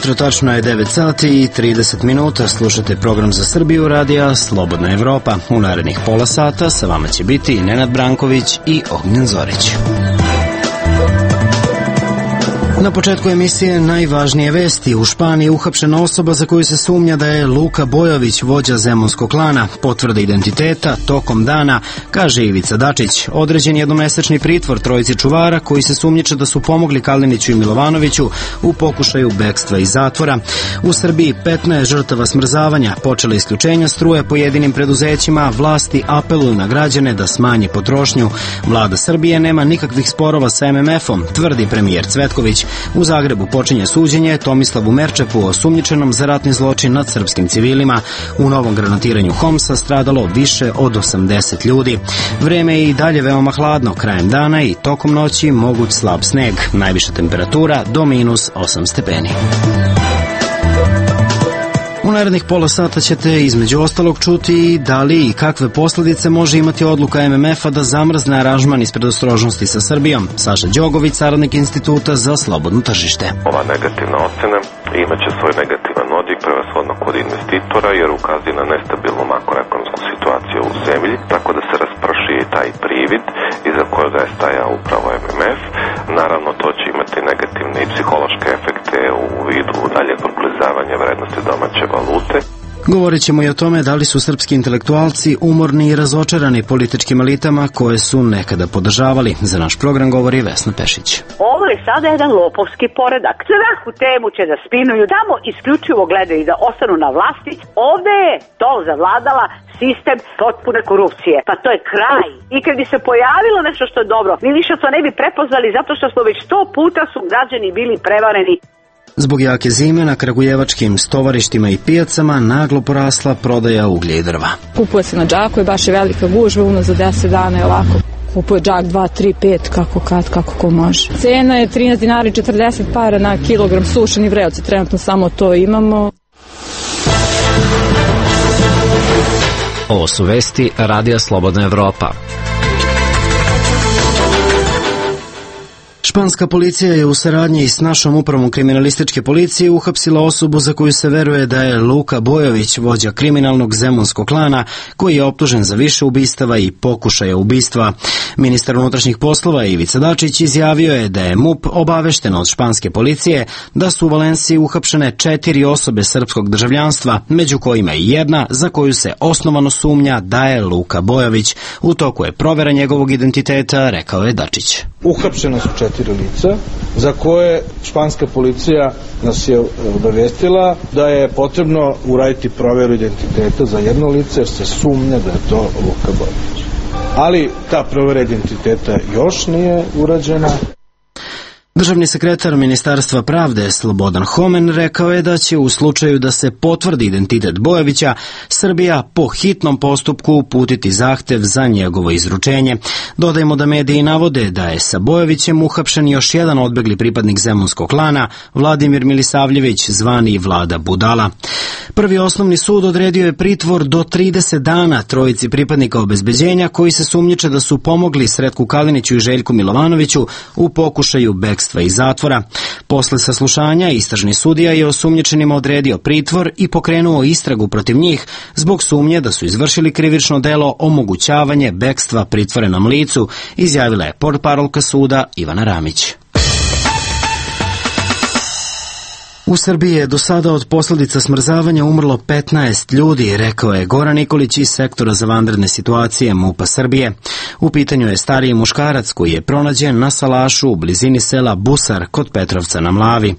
jutro, tačno je 9 sati i 30 minuta. Slušate program za Srbiju radija Slobodna Evropa. U narednih pola sata sa vama će biti Nenad Branković i Ognjen Zorić. Na početku emisije najvažnije vesti. U Španiji uhapšena osoba za koju se sumnja da je Luka Bojović, vođa zemunskog klana. Potvrde identiteta tokom dana, kaže Ivica Dačić. Određen jednomesečni pritvor trojici čuvara koji se sumnjiče da su pomogli Kaliniću i Milovanoviću u pokušaju bekstva iz zatvora. U Srbiji 15 žrtava smrzavanja, počela isključenja struje pojedinim preduzećima, vlasti apeluju na građane da smanji potrošnju. Vlada Srbije nema nikakvih sporova sa MMF-om, tvrdi premijer Cvetković. U Zagrebu počinje suđenje Tomislavu Merčepu, osumnjičenom za ratni zločin nad srpskim civilima. U novom granatiranju Homsa stradalo više od 80 ljudi. Vreme je i dalje veoma hladno, krajem dana i tokom noći moguć slab sneg. Najviša temperatura do -8 stepeni. U narednih pola sata ćete između ostalog čuti da li i kakve posljedice može imati odluka MMF-a da zamrzne aranžman iz predostrožnosti sa Srbijom. Saša Đogović, saradnik Instituta za slobodno tržište. Ova negativna ocena imaće svoj negativan odjek prevashodno kod investitora jer ukazuje na nestabilnu makroekonomsku situaciju u zemlji, tako da se rasprši taj privid iza kojega je stajao upravo MMF. Naravno, to će imati negativne i psihološke efekte u vidu daljeg proklizavanja vrednosti domaće valute. Govorit ćemo i o tome da li su srpski intelektualci umorni i razočarani političkim elitama koje su nekada podržavali. Za naš program govori Vesna Pešić. Ovo je sada jedan lopovski poredak. Svaku temu će da spinuju, tamo isključivo gledaju da ostanu na vlasti. Ovde je to zavladala sistem potpune korupcije. Pa to je kraj. I kad bi se pojavilo nešto što je dobro, mi više to ne bi prepoznali zato što smo već 100 puta su građani bili prevareni. Zbog jake zime na kragujevačkim stovarištima i pijacama naglo porasla prodaja uglja i drva. Kupuje se na džaku i baš je velika gužva, za 10 dana je ovako. Kupuje džak 2, 3, 5, kako ko može. Cena je 13 dinara i 40 para na kilogram sušeni vreoci, trenutno samo to imamo. Ovo su vesti Radija Slobodna Evropa. Španska policija je u saradnji s našom upravom kriminalističke policije uhapsila osobu za koju se veruje da je Luka Bojović, vođa kriminalnog zemunskog klana, koji je optužen za više ubistava i pokušaja ubistva. Ministar unutrašnjih poslova Ivica Dačić izjavio je da je MUP obavešten od španske policije da su u Valenciji uhapšene 4 osobe srpskog državljanstva, među kojima i jedna za koju se osnovano sumnja da je Luka Bojović. U toku je provera njegovog identiteta, rekao je Dačić. Uhapšena su 4 lica za koje španska policija nas je obavestila da je potrebno uraditi proveru identiteta za jedno lice jer se sumnja da je to Luka Bojović. Ali ta provera identiteta još nije urađena. Državni sekretar Ministarstva pravde Slobodan Homen rekao je da će u slučaju da se potvrdi identitet Bojovića, Srbija po hitnom postupku uputiti zahtev za njegovo izručenje. Dodajmo da mediji navode da je sa Bojovićem uhapšen još jedan odbegli pripadnik zemunskog klana, Vladimir Milisavljević, zvani Vlada Budala. Prvi osnovni sud odredio je pritvor do 30 dana trojici pripadnika obezbeđenja koji se sumnjiče da su pomogli Sretku Kaliniću i Željku Milovanoviću u pokušaju bekstva iz zatvora. Posle saslušanja istražni sudija je osumnjičenima odredio pritvor i pokrenuo istragu protiv njih zbog sumnje da su izvršili krivično delo omogućavanje bekstva pritvorenom licu, izjavila je portparolka suda Ivana Ramić. U Srbiji je do sada od posljedica smrzavanja umrlo 15 ljudi, rekao je Goran Nikolić iz sektora za vanredne situacije MUP-a Srbije. U pitanju je stariji muškarac koji je pronađen na salašu u blizini sela Busar kod Petrovca na Mlavi.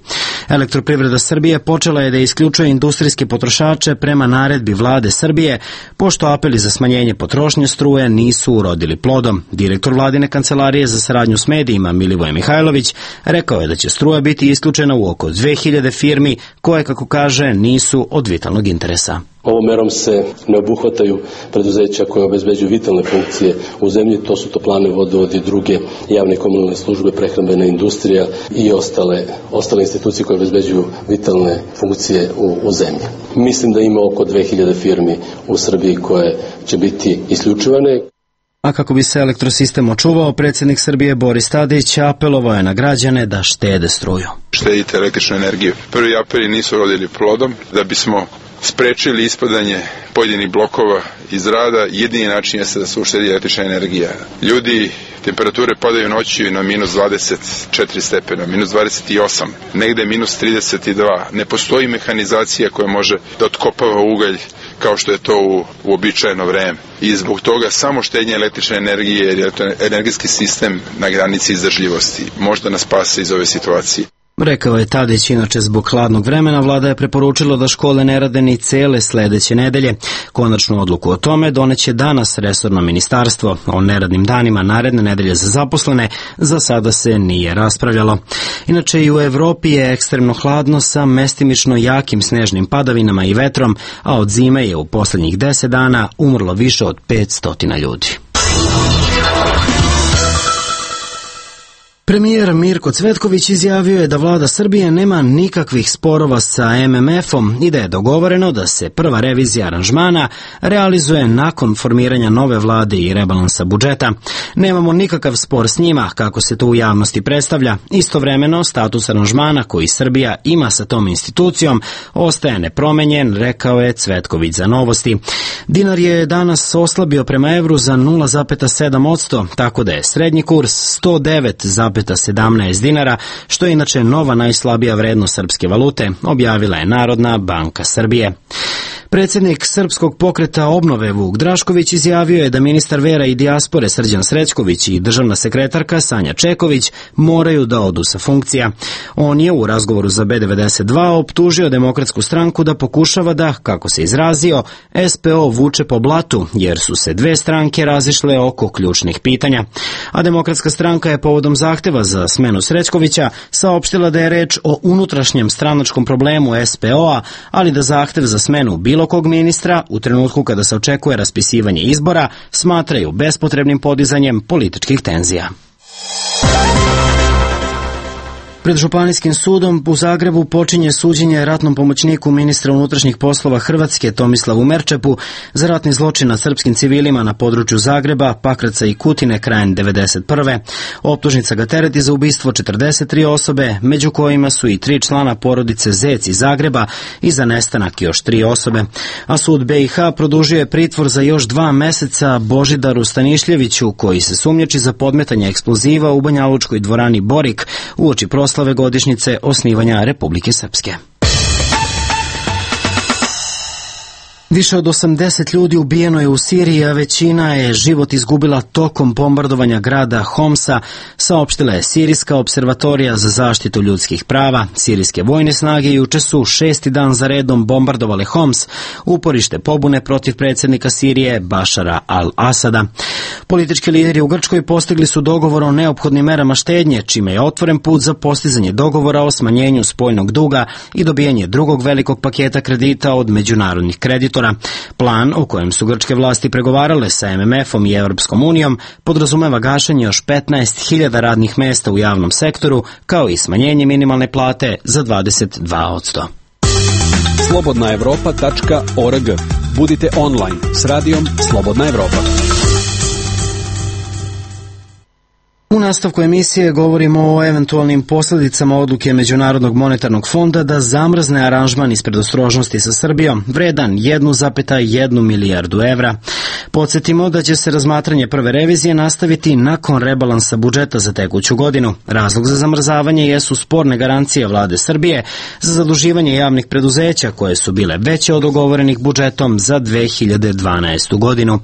Elektroprivreda Srbije počela je da isključuje industrijske potrošače prema naredbi vlade Srbije, pošto apeli za smanjenje potrošnje struje nisu urodili plodom. Direktor vladine kancelarije za saradnju s medijima Milivoje Mihajlović rekao je da će struja biti isključena u oko 2000 firmi koje, kako kaže, nisu od vitalnog interesa. Ovom merom se ne obuhvataju preduzeća koje obezbeđuju vitalne funkcije u zemlji, to su toplane, vodovod i druge javne komunalne službe, prehrambena industrija i ostale institucije koje obezbeđuju vitalne funkcije u zemlji. Mislim da ima oko 2000 firmi u Srbiji koje će biti isključivane. A kako bi se elektrosistem očuvao, predsjednik Srbije Boris Tadić apelovao je na građane da štede struju. Štedite električnu energiju. Prvi apeli nisu rodili plodom. Da bismo sprečili ispadanje pojedinih blokova iz rada, jedini način je da se uštedi električna energija. Ljudi, temperature padaju noći na minus 24 stepena, minus 28, negde minus 32. Ne postoji mehanizacija koja može da otkopava ugalj kao što je to u uobičajeno vreme. I zbog toga samo štednje električne energije, jer je to energijski sistem na granici izdržljivosti. Možda nas spase iz ove situacije. Rekao je Tadić, inače zbog hladnog vremena vlada je preporučila da škole ne rade ni cele sledeće nedelje. Konačnu odluku o tome doneće danas resorno ministarstvo. O neradnim danima naredne nedelje za zaposlene za sada se nije raspravljalo. Inače i u Evropi je ekstremno hladno sa mestimično jakim snežnim padavinama i vetrom, a od zime je u poslednjih 10 dana umrlo više od 500 ljudi. Premijer Mirko Cvetković izjavio je da vlada Srbije nema nikakvih sporova sa MMF-om i da je dogovoreno da se prva revizija aranžmana realizuje nakon formiranja nove vlade i rebalansa budžeta. Nemamo nikakav spor s njima, kako se to u javnosti predstavlja. Istovremeno, status aranžmana koji Srbija ima sa tom institucijom ostaje nepromenjen, rekao je Cvetković za Novosti. Dinar je danas oslabio prema evru za 0,7%, tako da je srednji kurs 109,17 dinara, što je inače nova najslabija vrednost srpske valute, objavila je Narodna banka Srbije. Predsjednik Srpskog pokreta obnove Vuk Drašković izjavio je da ministar vera i dijaspore Srđan Srećković i državna sekretarka Sanja Čeković moraju da odu sa funkcija. On je u razgovoru za B92 optužio Demokratsku stranku da pokušava da, kako se izrazio, SPO vuče po blatu, jer su se dve stranke razišle oko ključnih pitanja. A Demokratska stranka je povodom zahteva za smenu Srećkovića saopštila da je reč o unutrašnjem stranačkom problemu SPO-a, ali da zahtev za smenu bilo kog ministra u trenutku kada se očekuje raspisivanje izbora smatraju bespotrebnim podizanjem političkih tenzija. Pred Županijskim sudom u Zagrebu počinje suđenje ratnom pomoćniku ministra unutrašnjih poslova Hrvatske Tomislavu Merčepu za ratni zločin nad srpskim civilima na području Zagreba, Pakraca i Kutine krajem 1991. Optužnica ga tereti za ubistvo 43 osobe, među kojima su i 3 člana porodice Zec iz Zagreba i za nestanak još 3 osobe. A sud BiH produžio je pritvor za još 2 meseca Božidaru Stanišljeviću, koji se sumnjači za podmetanje eksploziva u banjalučkoj dvorani Borik uoči proslave godišnjice osnivanja Republike Srpske. Više od 80 ljudi ubijeno je u Siriji, a većina je život izgubila tokom bombardovanja grada Homsa, saopštila je Sirijska observatorija za zaštitu ljudskih prava. Sirijske vojne snage juče su 6. dan za redom bombardovale Homs, uporište pobune protiv predsjednika Sirije Bašara al-Asada. Politički lideri u Grčkoj postigli su dogovor o neophodnim merama štednje, čime je otvoren put za postizanje dogovora o smanjenju spoljnog duga i dobijanje drugog velikog paketa kredita od međunarodnih kreditora. Plan o kojem su grčke vlasti pregovarale sa MMF-om i Europskom unijom podrazumeva gašenje još 15.000 radnih mesta u javnom sektoru, kao i smanjenje minimalne plate za 22%. Slobodnaevropa.org. Budite online s radijom Slobodna Evropa. U nastavku emisije govorimo o eventualnim posljedicama odluke Međunarodnog monetarnog fonda da zamrzne aranžman iz predostrožnosti sa Srbijom, vredan 1,1 milijardu evra. Podsjetimo da će se razmatranje prve revizije nastaviti nakon rebalansa budžeta za tekuću godinu. Razlog za zamrzavanje jesu sporne garancije vlade Srbije za zaduživanje javnih preduzeća koje su bile veće od dogovorenih budžetom za 2012. godinu.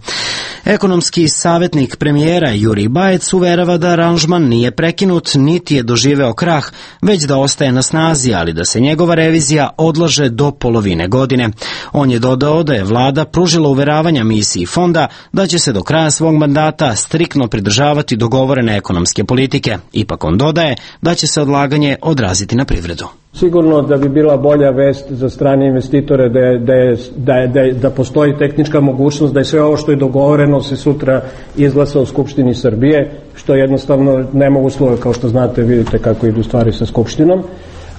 Ekonomski savjetnik premijera Jurij Bajec uverava da aranžman nije prekinut, niti je doživeo krah, već da ostaje na snazi, ali da se njegova revizija odlaže do polovine godine. On je dodao da je vlada pružila uveravanja misiji fonda da će se do kraja svog mandata striktno pridržavati dogovorene ekonomske politike. Ipak on dodaje da će se odlaganje odraziti na privredu. Sigurno da bi bila bolja vest za strane investitore da postoji tehnička mogućnost da je sve ovo što je dogovoreno se sutra izglasa u Skupštini Srbije, što je jednostavno nemoguće, kao što znate, vidite kako idu stvari sa Skupštinom.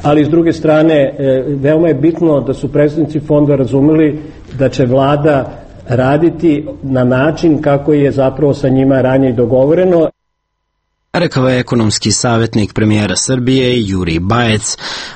Ali s druge strane, veoma je bitno da su predstavnici fonda razumeli da će vlada raditi na način kako je zapravo sa njima ranije dogovoreno. Rekao je ekonomski savjetnik premijera Srbije Jurij Bajec,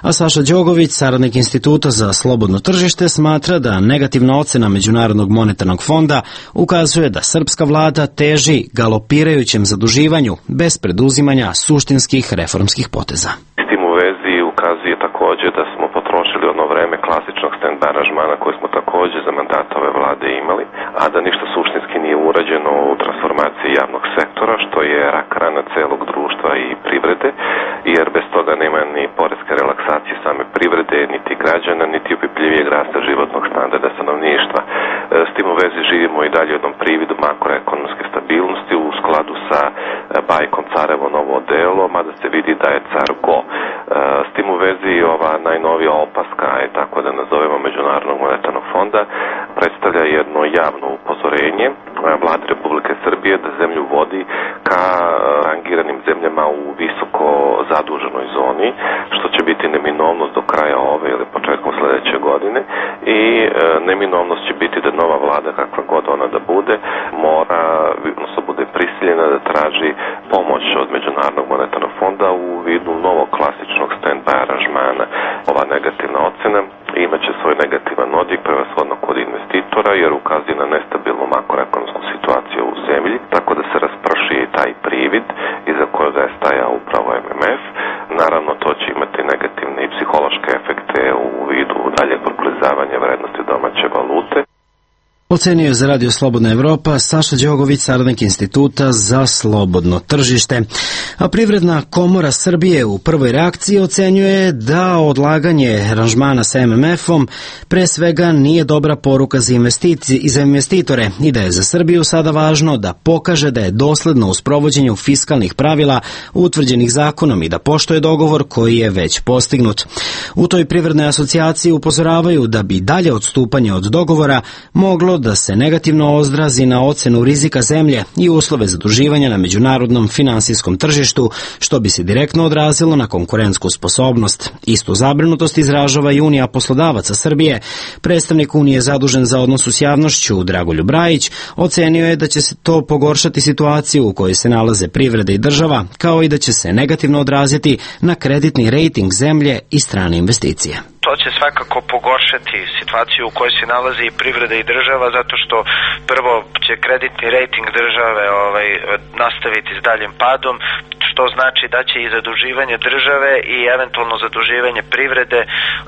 a Saša Đogović, saradnik Instituta za slobodno tržište, smatra da negativna ocena Međunarodnog monetarnog fonda ukazuje da srpska vlada teži galopirajućem zaduživanju bez preduzimanja suštinskih reformskih poteza. S tim u vezi ukazuje također da smo potrošili ono vreme klasičnog stand-by aranžmana koje smo također za mandata ove vlade imali, a da ništa suštinski nije urađeno u transformaciji javnog sektora, što je rak rana celog društva i privrede, jer bez toga nema ni poreske relaksacije same privrede, niti građana, niti opipljivijeg rasta životnog standarda stanovništva. S tim u vezi živimo i dalje u jednom prividu makroekonomske stabilnosti u skladu sa bajkom Carevo novo odelo, mada se vidi da je car go. S tim u vezi ova najnovija opaska, tako da nazovemo Međunarodnog monetarnog fonda, predstavlja jedno javno upozorenje Vlade Republike Srbije da zemlju vodi ka rangiranim zemljama u visoko zaduženoj zoni, što će biti neminovnost do kraja ove ili početkom sledeće godine, i neminovnost će biti da nova vlada, kakva god ona da bude, mora, odnosno bude prisiljena da traži pomoć od Međunarodnog monetarnog fonda u vidu novog klasičnog stand-by aranžmana. Ova negativna ocena imaće svoj negativan odjek prevashodno kod investitora, jer ukazuje na nestabilnu makroekonomsku situaciju u zemlji, tako da se rasprši i taj privid iza kojega je stajao upravo MMF. Naravno, to će imati negativne i psihološke efekte u vidu daljeg proklizavanja vrednosti domaće valute. Ocenio je za Radio Slobodna Evropa Saša Đogović, saradnik Instituta za slobodno tržište. A Privredna komora Srbije u prvoj reakciji ocenjuje da odlaganje aranžmana sa MMF-om pre svega nije dobra poruka za investitore i da je za Srbiju sada važno da pokaže da je dosledno u sprovođenju fiskalnih pravila utvrđenih zakonom i da poštuje dogovor koji je već postignut. U toj privrednoj asocijaciji upozoravaju da bi dalje odstupanje od dogovora moglo da se negativno odrazi na ocenu rizika zemlje i uslove zaduživanja na međunarodnom finansijskom tržištu, što bi se direktno odrazilo na konkurentsku sposobnost. Istu zabrinutost izražava i Unija poslodavaca Srbije. Predstavnik Unije zadužen za odnos s javnošću Dragoljub Brajić ocenio je da će se to pogoršati situaciju u kojoj se nalaze privreda i država, kao i da će se negativno odraziti na kreditni rejting zemlje i strane investicije. To će svakako pogoršati situaciju u kojoj se nalazi i privreda i država, zato što prvo će kreditni rejting države nastaviti s daljim padom, što znači da će i zaduživanje države i eventualno zaduživanje privrede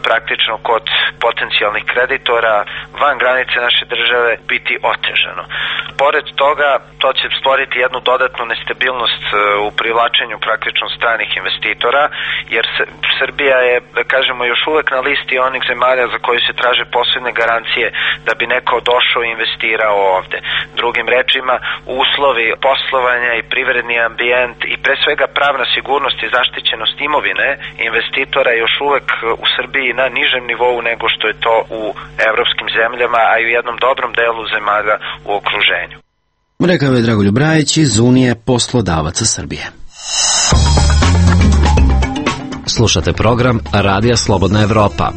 praktično kod potencijalnih kreditora van granice naše države biti otežano. Pored toga, to će stvoriti jednu dodatnu nestabilnost u privlačenju praktično stranih investitora, jer Srbija je, da kažemo, još uvek na listi onih zemalja za koje se traže posebne garancije da bi neko došao i investirao ovde. Drugim rečima, uslovi poslovanja i privredni ambijent i pre svega pravna sigurnost i zaštićenost imovine investitora još uvek u Srbiji na nižem nivou nego što je to u evropskim zemljama, a i u jednom dobrom delu zemalja u okruženju. Rekao je Dragoljub Brajić iz Unije poslodavaca Srbije. Slušate program Radija Slobodna Evropa.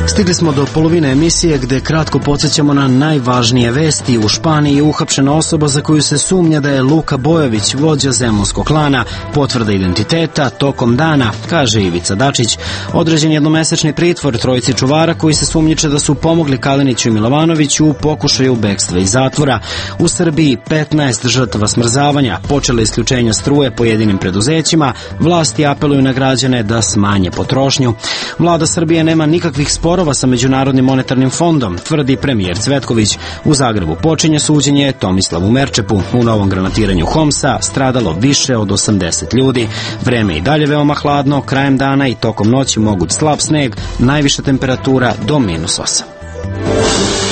Stigli smo do polovine emisije gde kratko podsjećamo na najvažnije vesti. U Španiji je uhapšena osoba za koju se sumnja da je Luka Bojović, vođa zemunskog klana. Potvrda identiteta tokom dana, kaže Ivica Dačić. Određen jednomesečni pritvor trojici čuvara koji se sumnjiče da su pomogli Kaliniću i Milovanoviću u pokušaju bekstva iz zatvora. U Srbiji 15 žrtava smrzavanja, počele isključenja struje pojedinim preduzećima, vlasti apeluju na građane da smanje potrošnju. Vlada Srbije nema nikakvih sporova sa Međunarodnim monetarnim fondom, tvrdi premijer Cvetković. U Zagrebu počinje suđenje Tomislavu Merčepu. U novom granatiranju Homsa stradalo više od 80 ljudi. Vreme i dalje veoma hladno, krajem dana i tokom noći moguć slab sneg, najviša temperatura do -8.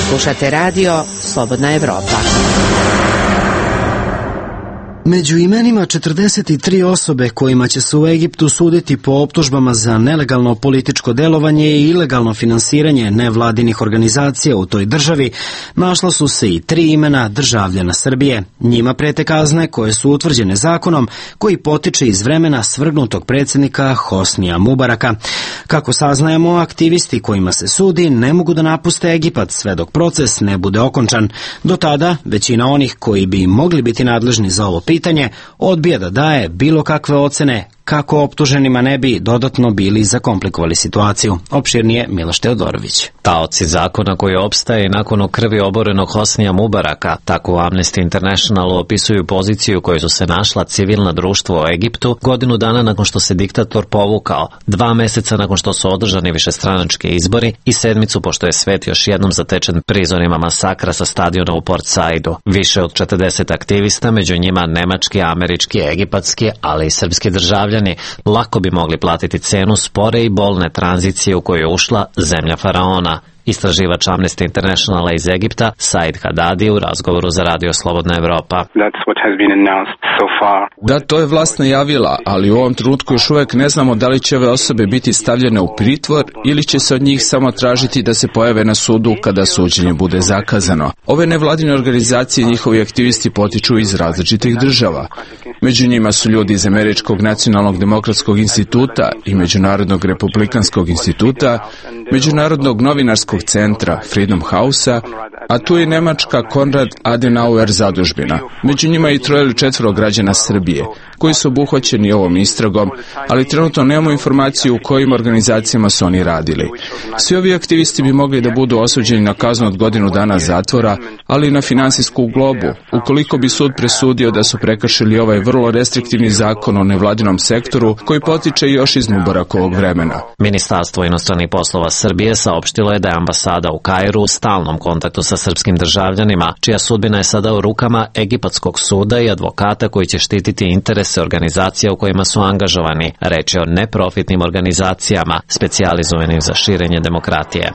Slušate radio Slobodna Evropa. Među imenima 43 osobe kojima će se u Egiptu suditi po optužbama za nelegalno političko delovanje i ilegalno finansiranje nevladinih organizacija u toj državi, našla su se i 3 imena državljana Srbije. Njima prete kazne koje su utvrđene zakonom koji potiče iz vremena svrgnutog predsjednika Hosnija Mubaraka. Kako saznajemo, aktivisti kojima se sudi ne mogu da napuste Egipat sve dok proces ne bude okončan. Do tada, većina onih koji bi mogli biti nadležni za ovo pitanje odbija da daje bilo kakve ocene kako optuženima ne bi dodatno bili zakomplikovali situaciju. Opširnije Miloš Teodorović. Taoci zakona koji opstaje nakon krvi oborenog Hosnija Mubaraka, tako u Amnesty Internationalu opisuju poziciju koju su se našla civilna društva u Egiptu godinu dana nakon što se diktator povukao, 2 meseca nakon što su održani višestranački izbori i 7 pošto je svet još jednom zatečen prizorima masakra sa stadiona u Port Saidu. Više od 40 aktivista, među njima nemački, američki, egipatski, ali i srpski državljani, lako bi mogli platiti cenu spore i bolne tranzicije u koju je ušla zemlja faraona. Istraživač Amnesty Internationala iz Egipta, Said Haddadi, u razgovoru za Radio Slobodna Evropa. Da, to je vlast najavila, ali u ovom trenutku još uvijek ne znamo da li će ove osobe biti stavljene u pritvor ili će se od njih samo tražiti da se pojave na sudu kada suđenje bude zakazano. Ove nevladine organizacije i njihovi aktivisti potiču iz različitih država. Među njima su ljudi iz Američkog nacionalnog demokratskog instituta i Međunarodnog republikanskog instituta, Međunarodnog novinarskog centra Freedom House-a, a tu je nemačka Konrad Adenauer zadužbina. Među njima je i 3 ili 4 građana Srbije, koji su obuhvaćeni ovom istragom, ali trenutno nemamo informaciju u kojim organizacijama su oni radili. Svi ovi aktivisti bi mogli da budu osuđeni na kaznu od godinu dana zatvora, ali i na finansijsku globu, ukoliko bi sud presudio da su prekršili ovaj vrlo restriktivni zakon o nevladinom sektoru, koji potiče još iz Mubarakovog vremena. Ministarstvo inostranih poslova Srbije saopštilo je da je ambasada u Kairu u stalnom kontaktu sa srpskim državljanima, čija sudbina je sada u rukama egipatskog suda i advokata koji će štititi interese organizacija u kojima su angažovani. Reč je o neprofitnim organizacijama specijalizovanim za širenje demokratije.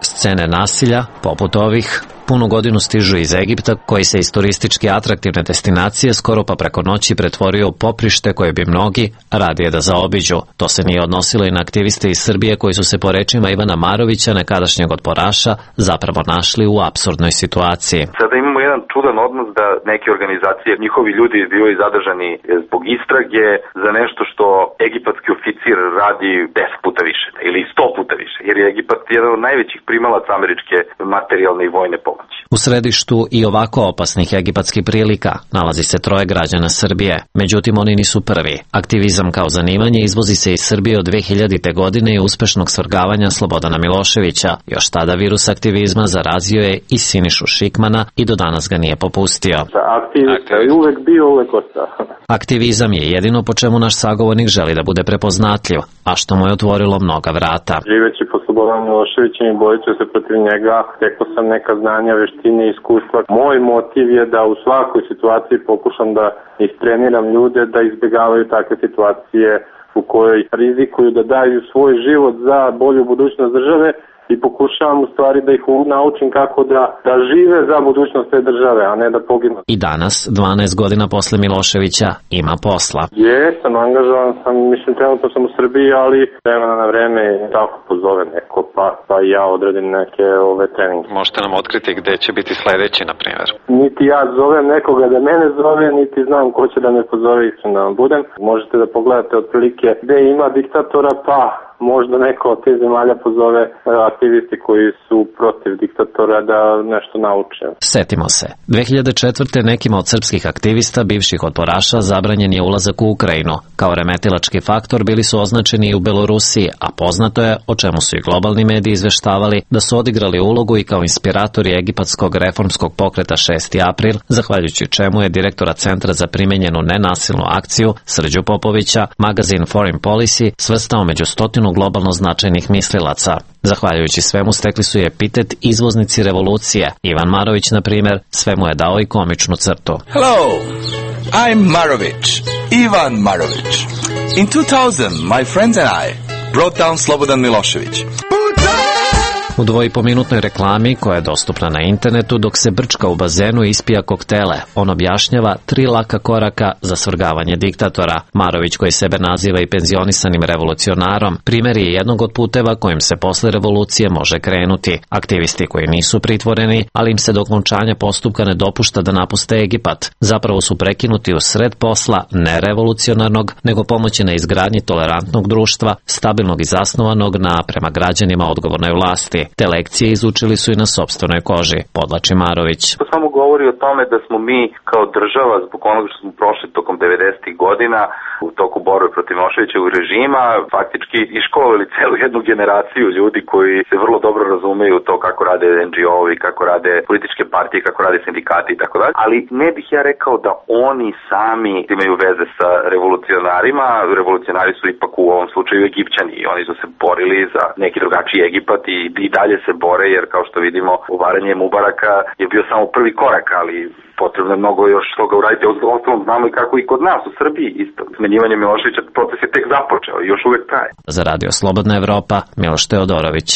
Scene nasilja, poput ovih, punu godinu stižu iz Egipta, koji se iz turistički atraktivne destinacije skoro pa preko noći pretvorio u poprište koje bi mnogi radije da zaobiđu. To se nije odnosilo i na aktiviste iz Srbije koji su se po rečima Ivana Marovića, nekadašnjeg otporaša, zapravo našli u apsurdnoj situaciji. Sada imamo jedan čudan odnos da neke organizacije, njihovi ljudi bivaju zadržani zbog istrage za nešto što egipatski oficir radi 10 puta više ili 100 puta više, jer je Egipat jedan od najvećih primalaca američke materijalne i vojne pomoći. U središtu i ovako opasnih egipatskih prilika nalazi se 3 građana Srbije. Međutim, oni nisu prvi. Aktivizam kao zanimanje izvozi se iz Srbije od 2000. godine i uspešnog svrgavanja Slobodana Miloševića. Još tada virus aktivizma zarazio je i Sinišu Šikmana i do danas ga nije popustio. Aktivista je uvek bio, uvek ostao. Aktivizam je jedino po čemu naš sagovornik želi da bude prepoznatljiv, a što mu je otvorilo mnoga vrata. Živeći po Slobodan Miloševićem i boreći se protiv njega, stekao sam neka znanja, veštine i iskustva. Moj motiv je da u svakoj situaciji pokušam da istreniram ljude da izbjegavaju takve situacije u kojoj rizikuju da daju svoj život za bolju budućnost države i pokušavam u stvari da ih naučim kako da žive za budućnost te države, a ne da poginu. I danas, 12 godina posle Miloševića, ima posla. Jesam, angažovan sam, mislim, trenutno sam u Srbiji, ali vremena na vreme tako pozove neko, pa i ja odredim neke treninge. Možete nam otkriti gde će biti sledeći, na primjer? Niti ja zovem nekoga da mene zove, niti znam ko će da me pozove, iskreno da vam budem. Možete da pogledate otprilike gde ima diktatora, pa možda neko od te zemalja pozove aktivisti koji su protiv diktatora da nešto nauče. Setimo se, 2004. nekima od srpskih aktivista, bivših otporaša, zabranjen je ulazak u Ukrajinu. Kao remetilački faktor bili su označeni i u Belorusiji, a poznato je, o čemu su i globalni mediji izveštavali, da su odigrali ulogu i kao inspiratori egipatskog reformskog pokreta 6. april, zahvaljujući čemu je direktora Centra za primenjenu nenasilnu akciju, Srđu Popovića, magazin Foreign Policy svrstao među 100 globalno značajnih mislilaca. Zahvaljujući svemu stekli su je epitet izvoznici revolucije. Ivan Marović, na primjer, svemu je dao i komičnu crtu. Hello, I'm Marović, Ivan Marović. In 2000, my friends and I brought down Slobodan Milošević. U 2,5-minutnoj reklami, koja je dostupna na internetu, dok se brčka u bazenu i ispija koktele, on objašnjava 3 laka koraka za svrgavanje diktatora. Marović, koji sebe naziva i penzionisanim revolucionarom, primjer je jednog od puteva kojim se posle revolucije može krenuti. Aktivisti koji nisu pritvoreni, ali im se do okončanja postupka ne dopušta da napuste Egipat, zapravo su prekinuti u sred posla ne revolucionarnog, nego pomoći na izgradnji tolerantnog društva, stabilnog i zasnovanog na prema građanima odgovornoj vlasti. Te lekcije izučili su i na sopstvenoj koži, podlači Marović. To samo govori o tome da smo mi kao država, zbog onoga što smo prošli tokom 90. godina, u toku borbe protiv Miloševićevog režima, faktički iškolovali celu jednu generaciju ljudi koji se vrlo dobro razumeju to kako rade NGO-ovi, kako rade političke partije, kako rade sindikati i tako dalje. Ali ne bih ja rekao da oni sami imaju veze sa revolucionarima. Revolucionari su ipak u ovom slučaju Egipćani i oni su se borili za neki drugačiji Egipat i dalje se bore, jer kao što vidimo, uvaranje Mubaraka je bio samo prvi korak, ali potrebno je mnogo još toga uraditi. Ostalom znamo i kako i kod nas u Srbiji isto. Smenjivanje Miloševića proces je tek započeo i još uvek traje. Za Radio Slobodna Evropa, Miloš Teodorović.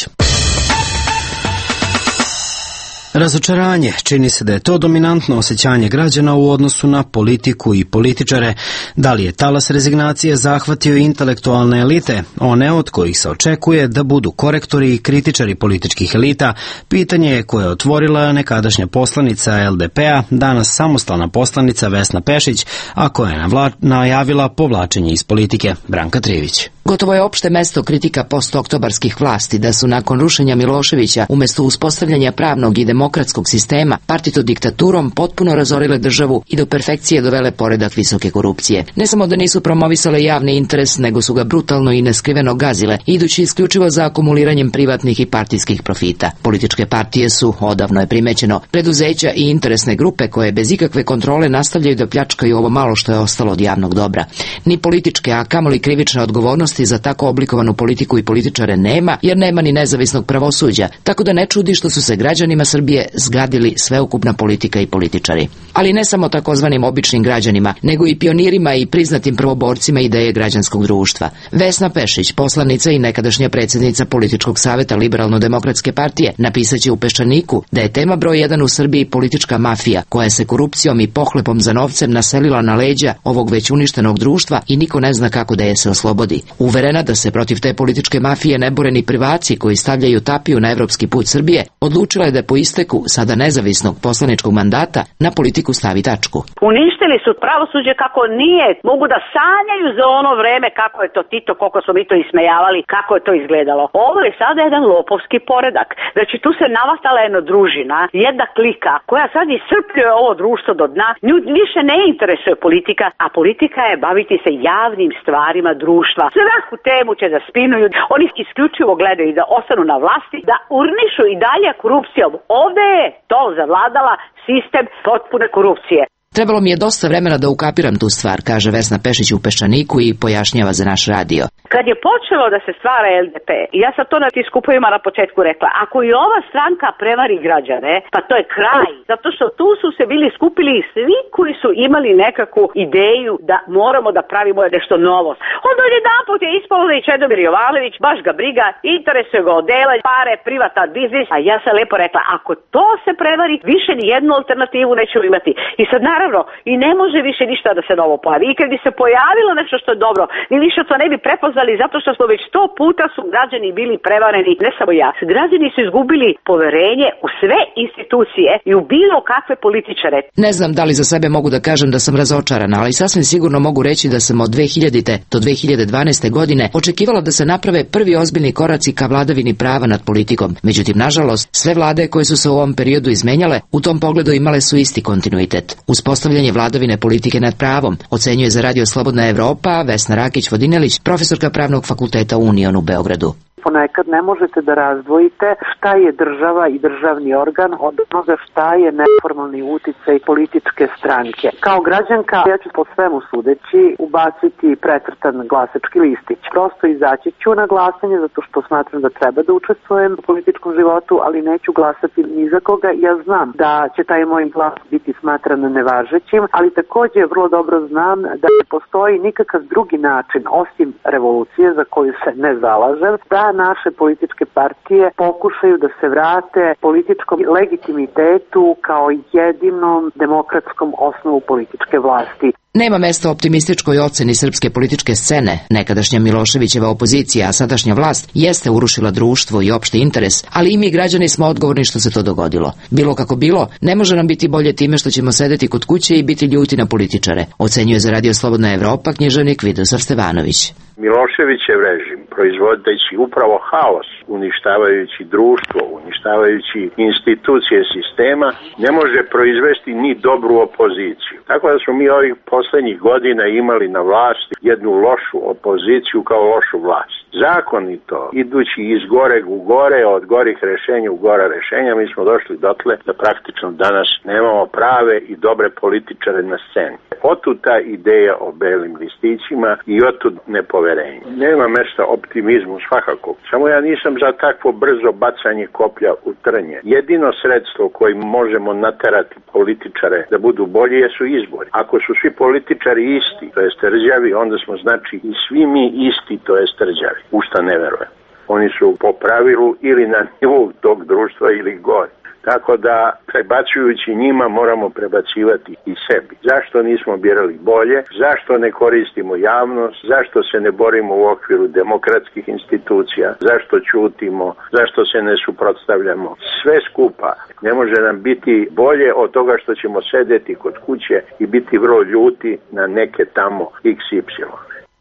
Razočaranje. Čini se da je to dominantno osjećanje građana u odnosu na politiku i političare. Da li je talas rezignacije zahvatio intelektualne elite, one od kojih se očekuje da budu korektori i kritičari političkih elita, pitanje je koje je otvorila nekadašnja poslanica LDP-a, danas samostalna poslanica Vesna Pešić, a koja je najavila povlačenje iz politike. Branka Trivić. Gotovo je opšte mesto kritika postoktobarskih vlasti da su nakon rušenja Miloševića umesto uspostavljanja pravnog i demokratskog sistema partito diktaturom potpuno razorile državu i do perfekcije dovele poredak visoke korupcije. Ne samo da nisu promovisale javni interes, nego su ga brutalno i neskriveno gazile, idući isključivo za akumuliranjem privatnih i partijskih profita. Političke partije su, odavno je primećeno, preduzeća i interesne grupe koje bez ikakve kontrole nastavljaju da pljačkaju ovo malo što je ostalo od javnog dobra. Ni političke, a kamoli krivične odgovornosti za tako oblikovanu politiku i političare nema, jer nema ni nezavisnog pravosuđa, tako da ne čudi što su se građanima Srbije zgadili sveukupna politika i političari. Ali ne samo takozvanim običnim građanima, nego i pionirima i priznatim prvoborcima ideje građanskog društva. Vesna Pešić, poslanica i nekadašnja predsjednica Političkog saveta Liberalno-demokratske partije, napisaće u Peščaniku da je tema broj 1 u Srbiji politička mafija, koja se korupcijom i pohlepom za novcem naselila na leđa ovog već uništenog društva i niko ne zna kako da je se oslobodi. Uverena da se protiv te političke mafije ne bore ni prvaci koji stavljaju tapiju na evropski put Srbije, odlučila je da po isteku sada nezavisnog poslaničkog mandata na politiku stavi tačku. Uništili su pravosuđe kako nije, mogu da sanjaju za ono vreme kako je to Tito, koliko smo mi to ismejavali, kako je to izgledalo. Ovo je sada jedan lopovski poredak. Znači tu se navastala jedna družina, jedna klika koja sad iscrpljuje ovo društvo do dna. Nju više ne interesuje politika, a politika je baviti se javnim stvarima društva. Svaku temu će da spinuju, oni isključivo gledaju da ostanu na vlasti, da urnišu i dalje korupcijom. Ovde je to zavladala sistem potpune korupcije. Trebalo mi je dosta vremena da ukapiram tu stvar, kaže Vesna Pešić u Peščaniku i pojašnjava za naš radio. Kad je počelo da se stvara LDP, ja sam to na tim skupovima na početku rekla, ako i ova stranka prevari građane, pa to je kraj. Zato što tu su se bili skupili svi koji su imali nekakvu ideju da moramo da pravimo nešto novo. Onda jedanput je ispalo da i Čedomir Jovanović, baš ga briga, interesuje ga odela, pare, privatan biznis, a ja sam lepo rekla, ako to se prevari, više ni jednu alternativu nećemo imati. I sad naravno, i ne može više ništa da se novo pojavi. I kad bi se pojavilo nešto što je dobro, mi više to ne bi prepoznali zato što smo već 100 puta su građani bili prevareni, ne samo ja. Građani su izgubili poverenje u sve institucije i u bilo kakve političare. Ne znam da li za sebe mogu da kažem da sam razočarana, ali sasvim sigurno mogu reći da sam od 2000. do 2012. godine očekivala da se naprave prvi ozbiljni koraci ka vladavini prava nad politikom. Međutim, nažalost, sve vlade koje su se u ovom periodu izmenjale, u tom pogledu imale su isti kontinuitet. Uspostavljanje vladavine politike nad pravom, ocenjuje za Radio Slobodna Evropa Vesna Rakić-Vodinelić, profesorka Pravnog fakulteta Union u Beogradu. Ponekad ne možete da razdvojite šta je država i državni organ od onoga šta je neformalni uticaj političke stranke. Kao građanka ja ću po svemu sudeći ubaciti precrtan glasački listić. Prosto izaći ću na glasanje zato što smatram da treba da učestvujem u političkom životu, ali neću glasati ni za koga. Ja znam da će taj moj glas biti smatran nevažećim, ali takođe vrlo dobro znam da ne postoji nikakav drugi način osim revolucije za koju se ne zalažem, da da naše političke partije pokušaju da se vrate političkom legitimitetu kao jedinom demokratskom osnovu političke vlasti. Nema mesta optimističkoj oceni srpske političke scene. Nekadašnja Miloševićeva opozicija, a sadašnja vlast jeste urušila društvo i opšti interes, ali i mi građani smo odgovorni što se to dogodilo. Bilo kako bilo, ne može nam biti bolje time što ćemo sedeti kod kuće i biti ljuti na političare, ocenjuje za Radio Slobodna Evropa književnik Vidosav Stevanović. Miloševićev režim, proizvodeći upravo haos, uništavajući društvo, uništavajući institucije sistema, ne može proizvesti ni dobru opoziciju. Tako da smo mi ovih poslednjih godina imali na vlasti jednu lošu opoziciju kao lošu vlast. Zakonito, idući iz goreg u gore, od gorih rešenja u gora rešenja, mi smo došli dotle da praktično danas nemamo prave i dobre političare na sceni. Otud ta ideja o belim listićima i otud nepoverenje. Nema mesta optimizmu svakako. Samo ja nisam za takvo brzo bacanje koplja u trnje. Jedino sredstvo kojim možemo naterati političare da budu bolji jesu izbori. Ako su svi političari isti, to jest rđavi, onda smo znači i svi mi isti, to jest rđavi. U šta ne verujem. Oni su po pravilu ili na nivou tog društva ili gore. Tako da, prebacujući njima, moramo prebacivati i sebi. Zašto nismo birali bolje? Zašto ne koristimo javnost? Zašto se ne borimo u okviru demokratskih institucija? Zašto ćutimo? Zašto se ne suprotstavljamo? Sve skupa ne može nam biti bolje od toga što ćemo sedeti kod kuće i biti vrlo ljuti na neke tamo XY.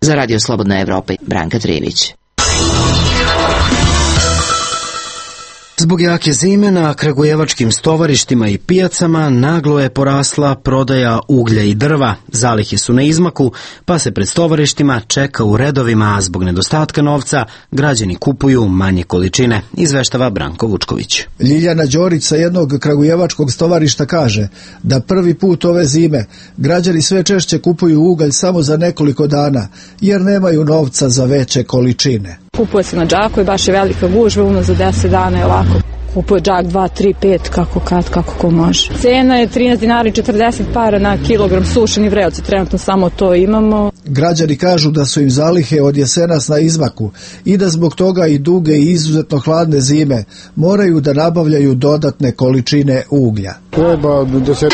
Za Radio Slobodna Evropa, Branka Trijević. Zbog jake zime na kragujevačkim stovarištima i pijacama naglo je porasla prodaja uglja i drva. Zalihe su na izmaku, pa se pred stovarištima čeka u redovima, a zbog nedostatka novca građani kupuju manje količine, izveštava Branko Vučković. Ljiljana Đorić sa jednog kragujevačkog stovarišta kaže da prvi put ove zime građani sve češće kupuju ugalj samo za nekoliko dana, jer nemaju novca za veće količine. Kupuje se na džaku i baš je velika gužva, za 10 dana je ovako. Kupuje džak 2, 3, 5, kako ko može. Cena je 13 dinara i 40 para na kilogram sušeni vreoci, trenutno samo to imamo. Građani kažu da su im zalihe od jesenas na izmaku i da zbog toga i duge i izuzetno hladne zime moraju da nabavljaju dodatne količine uglja. Treba 10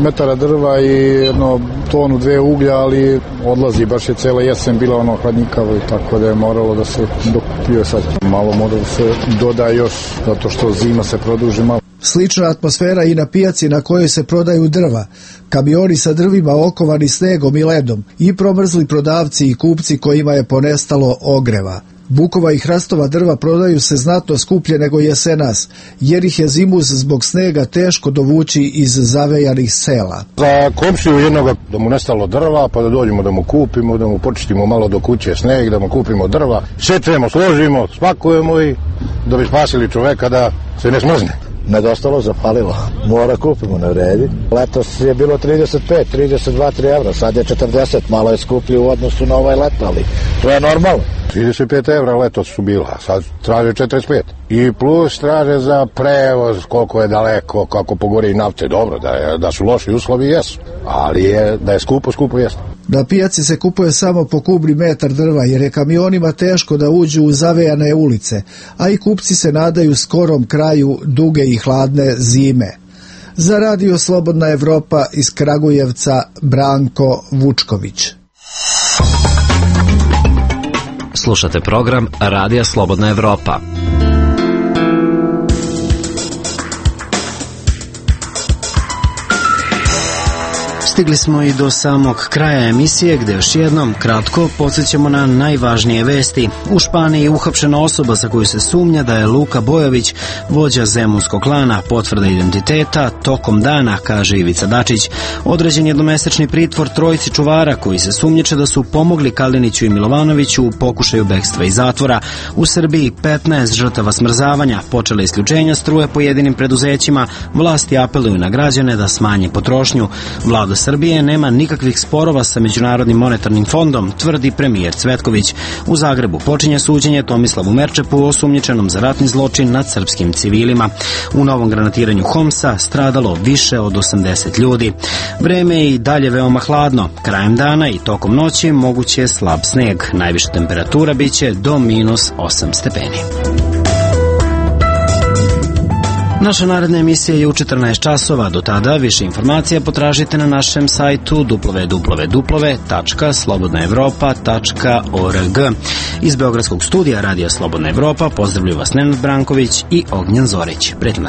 metara drva i 1 tonu 2 uglja, ali odlazi, baš je cela jesen bila hladnikavo i tako da je moralo da se dokupio sad. Malo mora da se doda još, zato što zima se produži malo. Slična atmosfera i na pijaci na kojoj se prodaju drva. Kamioni sa drvima okovani snegom i ledom i promrzli prodavci i kupci kojima je ponestalo ogreva. Bukova i hrastova drva prodaju se znatno skuplje nego jesenas, jer ih je zimus zbog snega teško dovući iz zavejanih sela. Za komšiju jednoga da mu nestalo drva, pa da dođemo da mu kupimo, da mu počistimo malo do kuće sneg, da mu kupimo drva, sečemo, složimo, spakujemo i da bi spasili čoveka da se ne smrzne. Nedostalo, zapalilo. Mora kupimo, ne vredi. Letos je bilo 35, 32 evra, sad je 40, malo je skuplji u odnosu na ovaj leto, ali to je normalno. 35 evra letos su bila, sad traže 45. I plus traže za prevoz, koliko je daleko, kako pogori nafte. Dobro, da su loši uslovi, jesu, ali da je skupo jesu. Na pijaci se kupuje samo po kubni metar drva, jer je kamionima teško da uđu u zavejane ulice, a i kupci se nadaju skorom kraju duge i hladne zime. Za Radio Slobodna Evropa iz Kragujevca, Branko Vučković. Slušate program Radija Slobodna Evropa. Stigli smo i do samog kraja emisije, gde još jednom kratko podsjećamo na najvažnije vesti. U Španiji uhapšena osoba za koju se sumnja da je Luka Bojović, vođa zemunskog klana, potvrda identiteta tokom dana, kaže Ivica Dačić. Određen jednomesečni pritvor trojici čuvara koji se sumnjiče da su pomogli Kaliniću i Milovanoviću u pokušaju bekstva iz zatvora. U Srbiji 15 žrtava smrzavanja, počela isključenja struje pojedinim preduzećima, vlasti apeluju na građane da smanje potrošnju. Vlada Srbije nema nikakvih sporova sa Međunarodnim monetarnim fondom, tvrdi premijer Cvetković. U Zagrebu počinje suđenje Tomislavu Merčepu, osumnjičenom za ratni zločin nad srpskim civilima. U novom granatiranju Homsa stradalo više od 80 ljudi. Vreme je i dalje veoma hladno. Krajem dana i tokom noći moguće je slab sneg. Najviša temperatura biće do -8 stepeni. Naša naredna emisija je u 14 časova. Do tada više informacija potražite na našem sajtu www.slobodnaevropa.org. Iz Beogradskog studija Radija Slobodna Evropa pozdravljuju vas Nenad Branković i Ognjen Zorić. Prijatno.